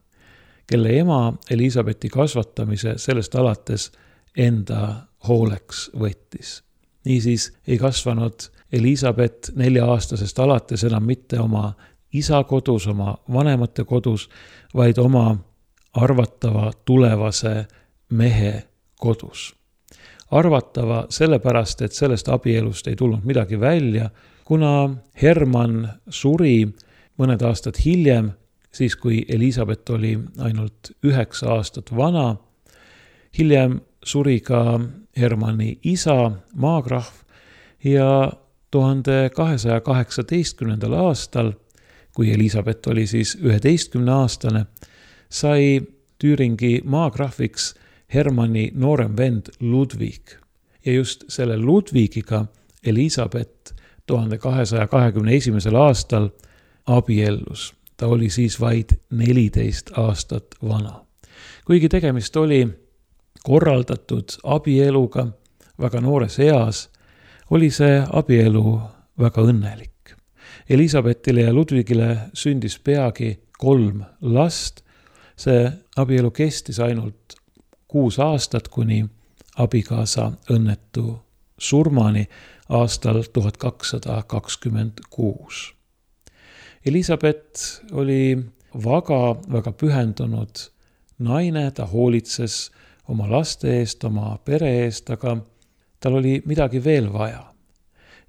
kelle ema Elisabethi kasvatamise sellest alates enda hooleks võttis. Niisiis ei kasvanud Elisabeth nelja-aastasest alates enam mitte oma isa kodus, oma vanemate kodus, vaid oma arvatava tulevase mehe kodus. Arvatava sellepärast, et sellest abielust ei tulnud midagi välja, kuna Hermann suri mõned aastad hiljem, siis kui Elisabeth oli ainult üheksa aastat vana. Hiljem suri ka Hermanni isa, maagrahv, ja tuhande kahesaja kaheksateistkümnendal aastal, kui Elisabeth oli siis üheteistkümne aastane, sai Tüüringi maagrahviks Hermanni noorem vend Ludwig. Ja just selle Ludwigiga Elisabeth tuhande kahesaja kahekümne esimesel aastal abiellus. Ta oli siis vaid neliteist aastat vana. Kuigi tegemist oli korraldatud abieluga väga noores eas, oli see abielu väga õnnelik. Elisabethile ja Ludwigile sündis peagi kolm last. See abielu kestis ainult kuus aastat kuni abikaasa õnnetu surmani aastal tuhat kakssada kakskümmend kuus. Elisabeth oli väga, väga pühendunud naine, ta hoolitses oma laste eest, oma pere eest, aga tal oli midagi veel vaja.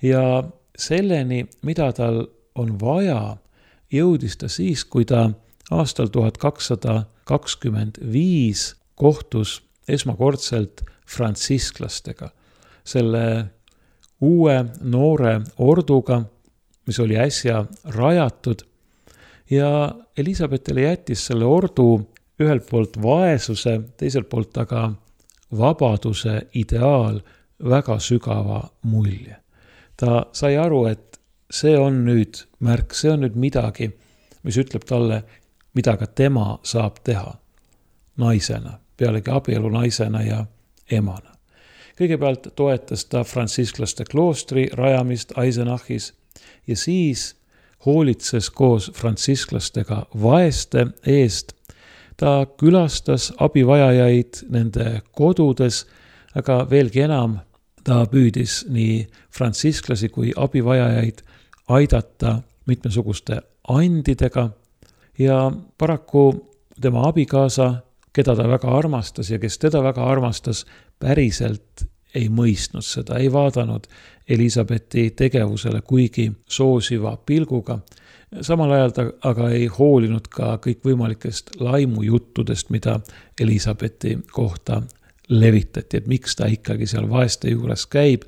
Ja selleni, mida tal on vaja, jõudis ta siis, kui ta aastal tuhat kakssada kakskümmend viis kohtus esmakordselt frantsisklastega, selle uue noore orduga, mis oli äsja rajatud, ja Elisabethile jättis selle ordu ühelt poolt vaesuse, teiselt poolt aga vabaduse ideaal väga sügava mulje. Ta sai aru, et see on nüüd märk, see on nüüd midagi, mis ütleb talle, mida ka tema saab teha naisena, pealegi abielu naisena ja emana. Kõigepealt toetas ta frantsisklaste kloostri rajamist Eisenachis ja siis hoolitses koos frantsisklastega vaeste eest. Ta külastas abivajajaid nende kodudes, aga veelgi enam ta püüdis nii frantsisklasi kui abivajajaid aidata mitmesuguste andidega ja paraku tema abikaasa, keda ta väga armastas ja kes teda väga armastas, päriselt ei mõistnud seda, ei vaadanud Elisabethi tegevusele kuigi soosiva pilguga. Samal ajal ta aga ei hoolinud ka kõikvõimalikest laimujuttudest, mida Elisabethi kohta levitati, et miks ta ikkagi seal vaeste juures käib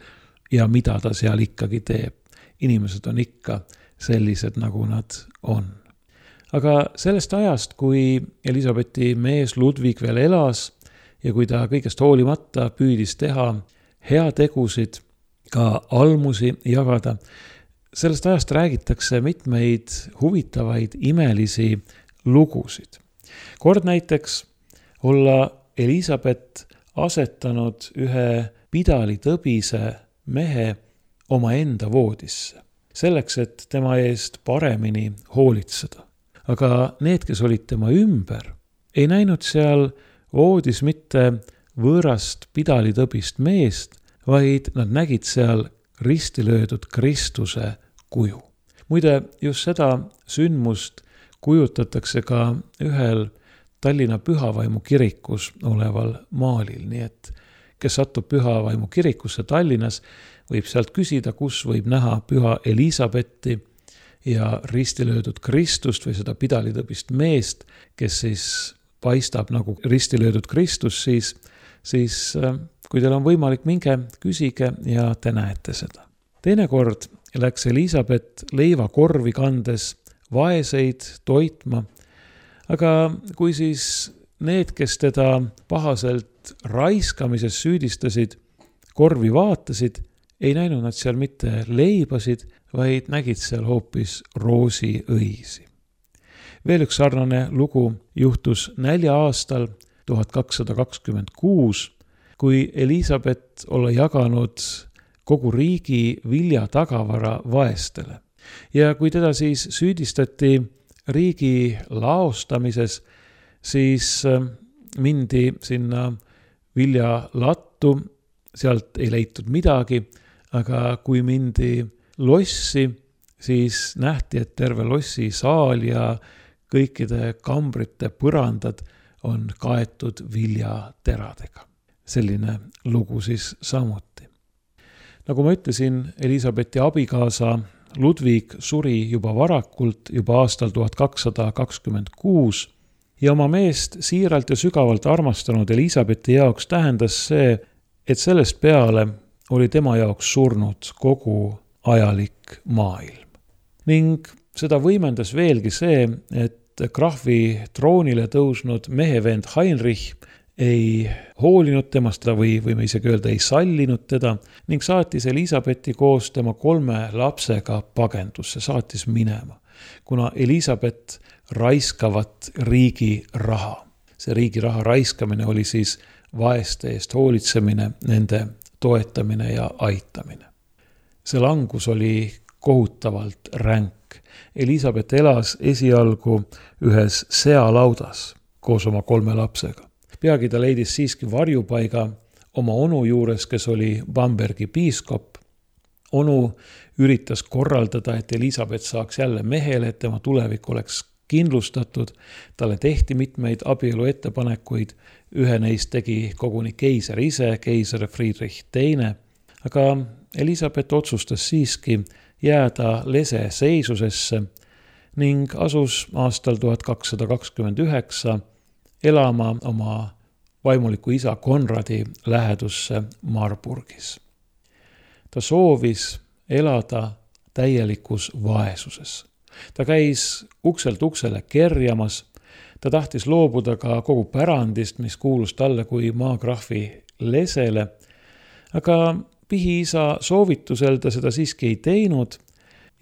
ja mida ta seal ikkagi teeb. Inimesed on ikka sellised, nagu nad on. Aga sellest ajast, kui Elisabethi mees Ludwig veel elas ja kui ta kõigest hoolimata püüdis teha heategusid, ka almusi jagada, sellest ajast räägitakse mitmeid huvitavaid imelisi lugusid. Kord näiteks olla Elisabeth asetanud ühe pidalitõbise mehe oma enda voodisse, selleks, et tema eest paremini hoolitseda. Aga need, kes olid tema ümber, ei näinud seal voodis mitte võõrast pidalitõbist meest, vaid nad nägid seal risti löödud Kristuse kuju. Muide, just seda sündmust kujutatakse ka ühel Tallinna Pühavaimu kirikus oleval maalil, nii et kes satub Pühavaimu kirikusse Tallinnas, võib sealt küsida, kus võib näha Püha Elisabethi ja risti löödud Kristust või seda pidalitõbist meest, kes siis paistab nagu risti löödud Kristus, siis, siis kui teil on võimalik, minge küsige ja te näete seda. Teinekord läks Elisabeth leivakorvi kandes vaeseid toitma, aga kui siis need, kes teda pahaselt raiskamises süüdistasid, korvi vaatasid, ei näinud nad seal mitte leibasid, vaid nägid seal hoopis roosiõisi. Veel üks sarnane lugu juhtus nälja aastal tuhat kakssada kakskümmend kuus, kui Elisabeth olla jaganud kogu riigi viljatagavara vaestele. Ja kui teda siis süüdistati riigi laostamises, siis mindi sinna viljalattu, sealt ei leitud midagi, aga kui mindi lossi, siis nähti, et terve lossi saal ja kõikide kambrite põrandad on kaetud viljateradega. Selline lugu siis samuti. Nagu ma ütlesin, Elisabethi abikaasa Ludwig suri juba varakult, juba aastal tuhat kakssada kakskümmend kuus ja oma meest siiralt ja sügavalt armastanud Elisabethi jaoks tähendas see, et sellest peale oli tema jaoks surnud kogu ajalik maailm. Ning seda võimendas veelgi see, et krahvi troonile tõusnud mehevend Heinrich ei hoolinud temast teda või võime isegi öelda, ei sallinud teda ning saatis Elisabethi koos tema kolme lapsega pagendusse, saatis minema, kuna Elisabeth raiskavat riigi raha. See riigi raha raiskamine oli siis vaeste eest hoolitsemine, nende toetamine ja aitamine. See langus oli kohutavalt ränk. Elisabeth elas esialgu ühes sealaudas koos oma kolme lapsega. Peagi ta leidis siiski varjupaiga oma onu juures, kes oli Bambergi piiskop. Onu üritas korraldada, et Elisabeth saaks jälle mehele, et tema tulevik oleks kindlustatud. Talle tehti mitmeid abielu ettepanekuid. Ühe neist tegi koguni keiser ise, keiser Friedrich teine. Aga Elisabeth otsustas siiski jääda lese seisusesse ning asus aastal tuhat kakssada kakskümmend üheksa elama oma vaimuliku isa Konradi lähedusse Marburgis. Ta soovis elada täielikus vaesuses. Ta käis ukselt uksele kerjamas, ta tahtis loobuda ka kogu pärandist, mis kuulus talle kui maagrahvi lesele, aga pihiisa soovitusel ta seda siiski ei teinud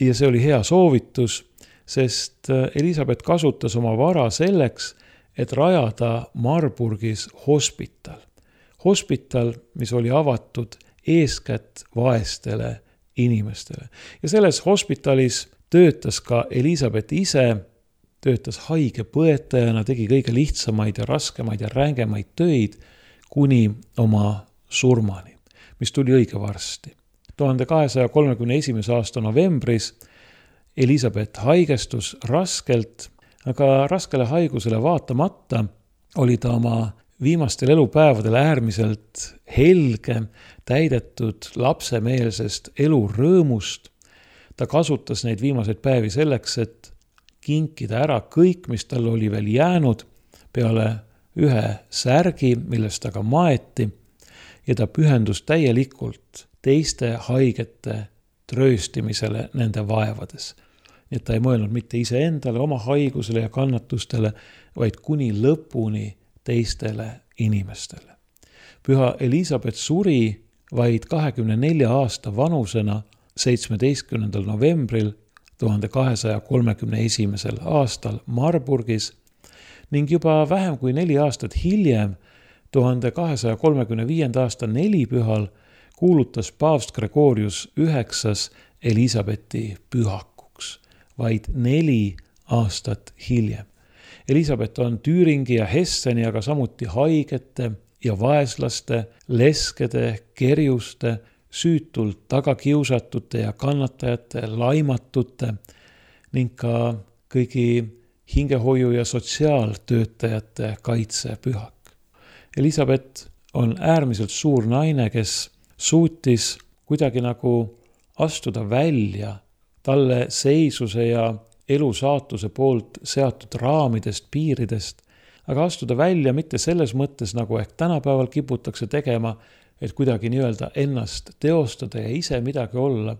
ja see oli hea soovitus, sest Elisabeth kasutas oma vara selleks, et rajada Marburgis hospital. Hospital, mis oli avatud eeskätt vaestele inimestele. Ja selles hospitalis töötas ka Elisabeth ise, töötas haige põetajana, tegi kõige lihtsamaid ja raskemaid ja rängemaid töid kuni oma surmani, mis tuli õige varsti. tuhande kahesaja kolmekümne esimese aasta novembris Elisabeth haigestus raskelt, aga raskele haigusele vaatamata oli ta oma viimastel elupäevadel äärmiselt helge, täidetud lapsemeelsest elurõõmust. Ta kasutas neid viimaseid päevi selleks, et kinkida ära kõik, mis tal oli veel jäänud peale ühe särgi, millest ta ka maeti, ja ta pühendus täielikult teiste haigete trööstimisele nende vaevades. Nii et ta ei mõelnud mitte iseendale, oma haigusele ja kannatustele, vaid kuni lõpuni teistele inimestele. Püha Elisabeth suri vaid kahekümne nelja aasta vanusena seitsmeteistkümnendal novembril tuhande kahesaja kolmekümne esimesel aastal Marburgis ning juba vähem kui neli aastat hiljem, tuhande kahesaja kolmekümne viienda aasta nelipühal, kuulutas paavst Gregorius üheksas Elisabethi pühakuks, vaid neli aastat hiljem. Elisabeth on Tüüringi ja Hesseni, aga samuti haigete ja vaeslaste, leskede, kerjuste, süütult tagakiusatute ja kannatajate, laimatute ning ka kõigi hingehoiu- ja sotsiaaltöötajate kaitsepühak. Elisabeth on äärmiselt suur naine, kes suutis kuidagi nagu astuda välja talle seisuse ja elu saatuse poolt seatud raamidest, piiridest, aga astuda välja mitte selles mõttes, nagu ehk tänapäeval kiputakse tegema, et kuidagi nii-öelda ennast teostada ja ise midagi olla,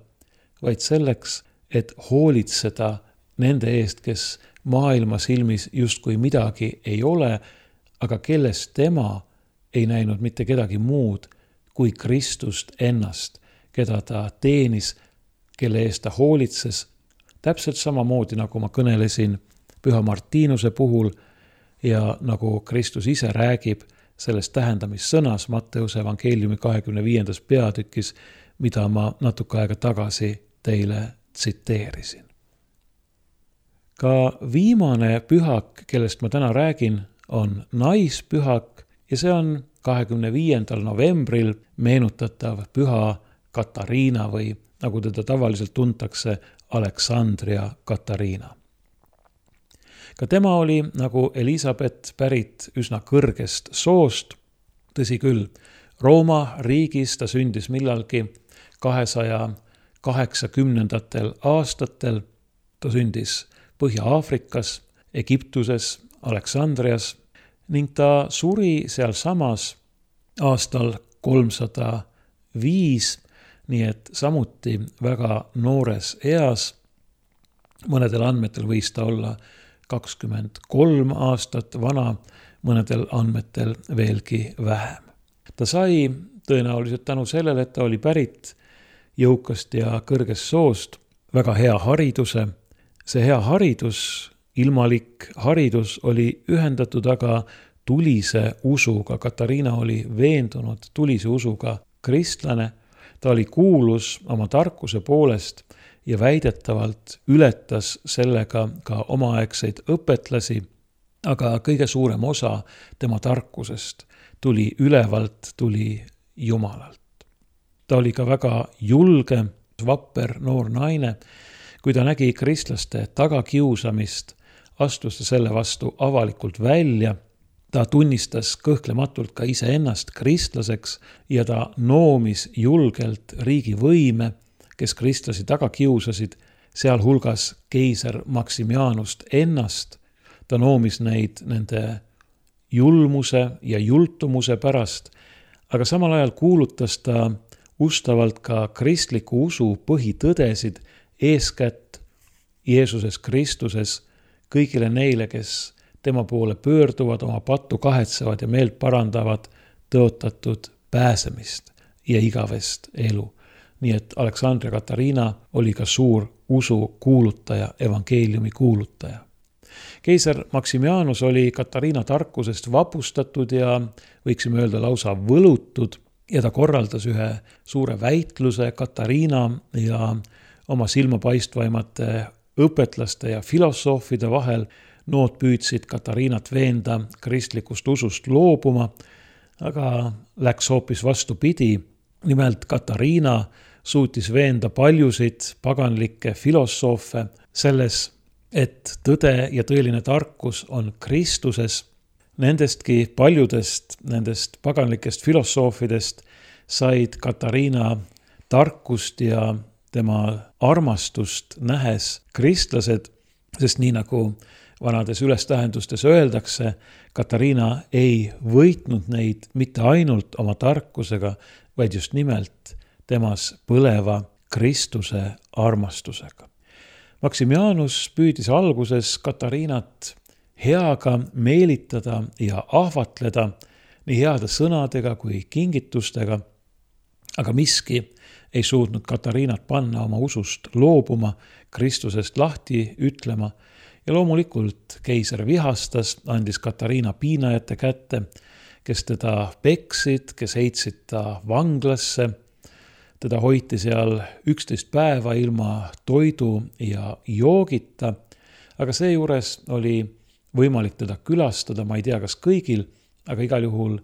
vaid selleks, et hoolitseda nende eest, kes maailma silmis justkui midagi ei ole, aga kellest tema ei näinud mitte kedagi muud kui Kristust ennast, keda ta teenis, kelle eest ta hoolitses, täpselt samamoodi, nagu ma kõnelesin Püha Martinuse puhul ja nagu Kristus ise räägib sellest tähendamissõnas Matteuse evangeeliumi kahekümne viiendas peatükis, mida ma natuke aega tagasi teile tsiteerisin. Ka viimane pühak, kellest ma täna räägin, on naispühak ja see on kahekümne viiendal novembril meenutatav püha Katariina või nagu teda tavaliselt tuntakse, Aleksandria Katariina. Ka tema oli nagu Elisabeth pärit üsna kõrgest soost, tõsi küll, Rooma riigis ta sündis millalgi kahesaja kaheksakümnendatel aastatel, ta sündis Põhja-Aafrikas, Egiptuses, Aleksandrias ning ta suri seal samas aastal kolmsada viis, nii et samuti väga noores eas. Mõnedel andmetel võis ta olla kakskümmend kolm aastat vana, mõnedel andmetel veelgi vähem. Ta sai tõenäoliselt tänu sellele, et ta oli pärit jõukast ja kõrgest soost, väga hea hariduse. See hea haridus, ilmalik haridus oli ühendatud aga tulise usuga. Katariina oli veendunud tulise usuga kristlane. Ta oli kuulus oma tarkuse poolest ja väidetavalt ületas sellega ka omaaegseid õpetlasi, aga kõige suurem osa tema tarkusest tuli ülevalt, tuli Jumalalt. Ta oli ka väga julge, vapper noor naine. Kui ta nägi kristlaste tagakiusamist, astus ta selle vastu avalikult välja. Ta tunnistas kõhklematult ka iseennast kristlaseks ja ta noomis julgelt riigivõime, kes kristlasi taga kiusasid, sealhulgas keiser Maximianust ennast. Ta noomis neid nende julmuse ja jultumuse pärast, aga samal ajal kuulutas ta ustavalt ka kristliku usu põhitõdesid, eeskätt Jeesuses Kristuses kõigile neile, kes tema poole pöörduvad, oma pattu kahetsevad ja meelt parandavad, tõotatud pääsemist ja igavest elu. Nii et Aleksandria Katariina oli ka suur usu kuulutaja, evangeeliumi kuulutaja. Keiser Maximianus oli Katariina tarkusest vapustatud ja võiksime öelda lausa võlutud ja ta korraldas ühe suure väitluse Katariina ja oma silmapaistvaimate õpetlaste ja filosoofide vahel. Nood püüdsid Katariinat veenda kristlikust usust loobuma, aga läks hoopis vastupidi. Nimelt Katariina suutis veenda paljusid paganlikke filosoofe selles, et tõde ja tõeline tarkus on Kristuses. Nendestki paljudest nendest paganlikest filosoofidest said Katariina tarkust ja tema armastust nähes kristlased, sest nii nagu vanades ülestähendustes öeldakse, Katariina ei võitnud neid mitte ainult oma tarkusega, vaid just nimelt temas põleva Kristuse armastusega. Maximianus püüdis alguses Katariinat heaga meelitada ja ahvatleda nii heade sõnadega kui kingitustega, aga miski ei suutnud Katariinat panna oma usust loobuma, Kristusest lahti ütlema. Ja loomulikult keiser vihastas, andis Katariina piinajate kätte, kes teda peksid, kes heitsid ta vanglasse. Teda hoiti seal üksteist päeva ilma toidu ja joogita, aga seejuures oli võimalik teda külastada, ma ei tea, kas kõigil, aga igal juhul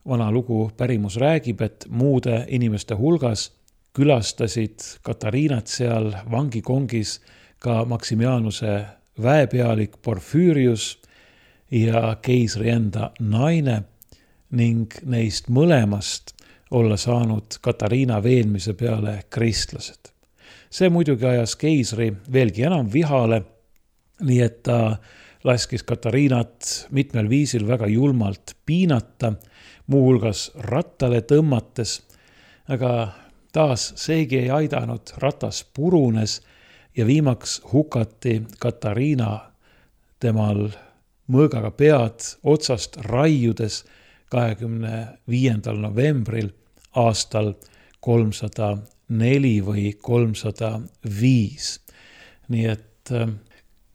vana lugu pärimus räägib, et muude inimeste hulgas külastasid Katariinat seal vangikongis ka Maximianuse väepealik Porfüürius ja keisri enda naine ning neist mõlemast olla saanud Katariina veenmise peale kristlased. See muidugi ajas keisri veelgi enam vihale, nii et ta laskis Katariinat mitmel viisil väga julmalt piinata, muuhulgas rattale tõmmates, aga taas seegi ei aidanud, ratas purunes ja viimaks hukati Katariina temal mõõgaga pead otsast raiudes kahekümne viiendal novembril aastal kolmsada neli või kolmsada viis. Nii et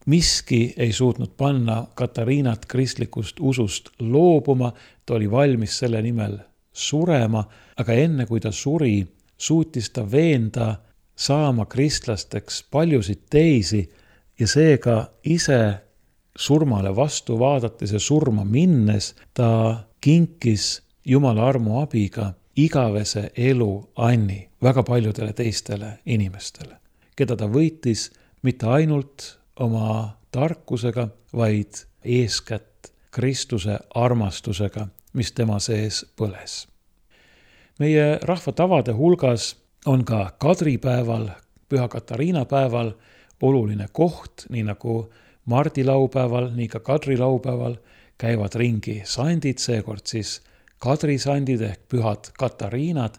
miski ei suutnud panna Katariinat kristlikust usust loobuma, ta oli valmis selle nimel surema, aga enne kui ta suri, suutis ta veenda saama kristlasteks paljusid teisi ja seega ise surmale vastu vaadates ja surma minnes ta kinkis Jumala armu abiga igavese elu anni väga paljudele teistele inimestele, keda ta võitis mitte ainult oma tarkusega, vaid eeskätt Kristuse armastusega, mis tema sees põles. Meie rahvatavade hulgas on ka kadripäeval, Püha Katariina päeval oluline koht, nii nagu Mardi laupäeval, nii ka Kadri laupäeval käivad ringi sandid, seekord siis kadrisandid ehk pühad Katariinad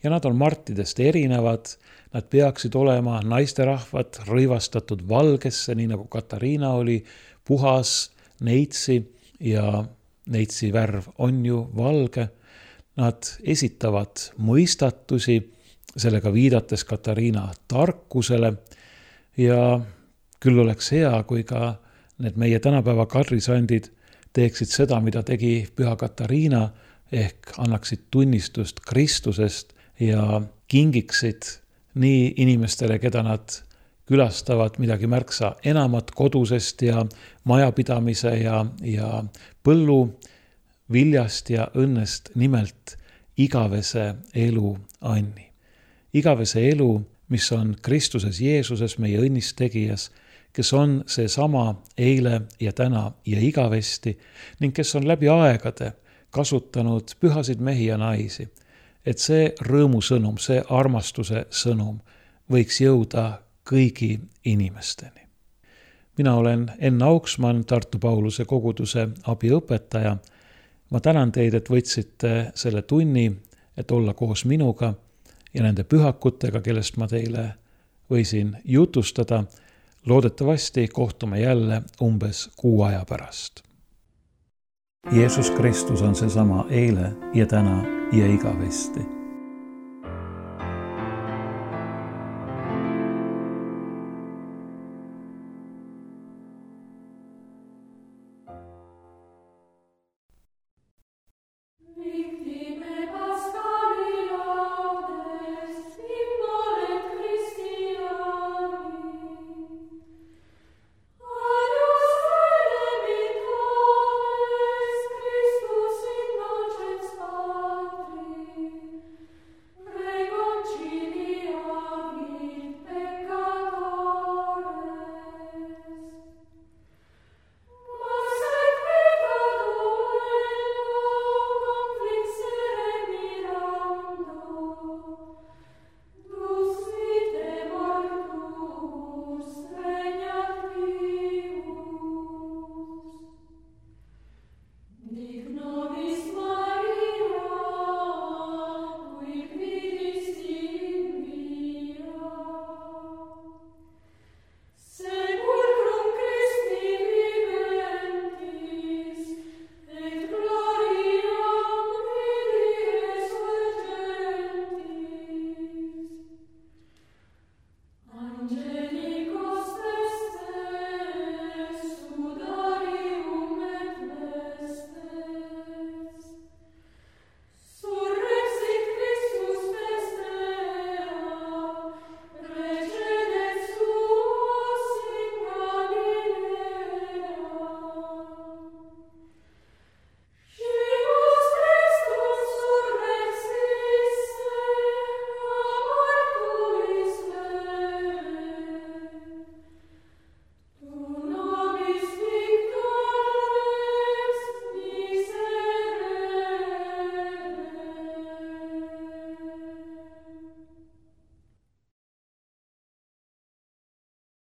ja nad on martidest erinevad, nad peaksid olema naisterahvad rõivastatud valgesse, nii nagu Katariina oli, puhas, neitsi ja neitsi värv on ju valge. Nad esitavad mõistatusi, sellega viidates Katariina tarkusele ja küll oleks hea, kui ka need meie tänapäeva kadrisandid teeksid seda, mida tegi püha Katariina, ehk annaksid tunnistust Kristusest ja kingiksid nii inimestele, keda nad külastavad, midagi märksa enamat kodusest ja majapidamise ja, ja põllu viljast ja õnnest, nimelt igavese elu anni. Igavese elu, mis on Kristuses Jeesuses, meie õnnistegijas, kes on see sama eile ja täna ja igavesti ning kes on läbi aegade kasutanud pühasid mehi ja naisi, et see rõõmusõnum, see armastuse sõnum võiks jõuda kõigi inimesteni. Mina olen Enn Auksmann, Tartu Pauluse koguduse abiõpetaja. Ma tänan teid, et võtsite selle tunni, et olla koos minuga ja nende pühakutega, kellest ma teile võisin jutustada. Loodetavasti kohtume jälle umbes kuu aja pärast. Jeesus Kristus on seesama eile ja täna ja igavesti.